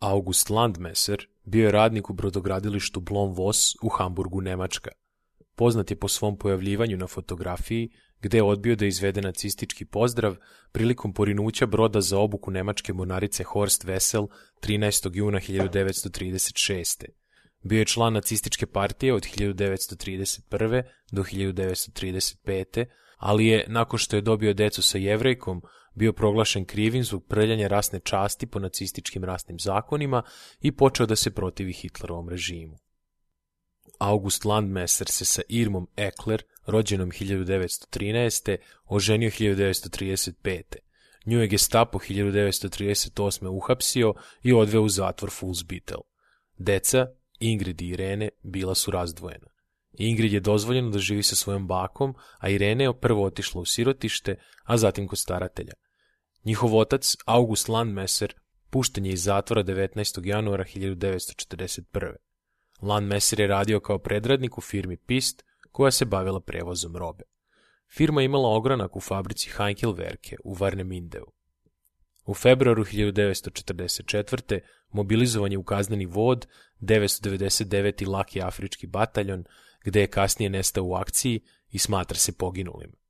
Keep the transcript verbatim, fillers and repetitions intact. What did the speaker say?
August Landmesser bio je radnik u brodogradilištu Blom-Voss u Hamburgu, Nemačka. Poznat je po svom pojavljivanju na fotografiji, gde je odbio da izvede nacistički pozdrav prilikom porinuća broda za obuku nemačke mornarice Horst Wessel trinaestog juna hiljadu devetsto trideset šeste. Bio je član nacističke partije od hiljadu devetsto trideset prve. do hiljadu devetsto trideset pete. ali je, nakon što je dobio decu sa Jevrejkom, bio proglašen krivim zbog prljanja rasne časti po nacističkim rasnim zakonima i počeo da se protivi Hitlerovom režimu. August Landmesser se sa Irmom Ekler, rođenom hiljadu devetsto trinaeste. oženio hiljadu devetsto trideset pete. Nju je Gestapo hiljadu devetsto trideset osme. uhapsio i odveo u zatvor Fuhlsbüttel. Deca, Ingrid i Irene, bila su razdvojena. Ingrid je dozvoljeno da živi sa svojom bakom, a Irene je prvo otišla u sirotište, a zatim kod staratelja. Njihov otac, August Landmesser, pušten je iz zatvora devetnaestog januara hiljadu devetsto četrdeset prve. Landmesser je radio kao predradnik u firmi Pist, koja se bavila prevozom robe. Firma je imala ogranak u fabrici Heinkelwerke u Warnemindeu. U februaru hiljadu devetsto četrdeset četvrte. mobilizovan je u kazneni vod devetsto devedeset deveti. Laki afrički bataljon, gde je kasnije nestao u akciji i smatra se poginulim.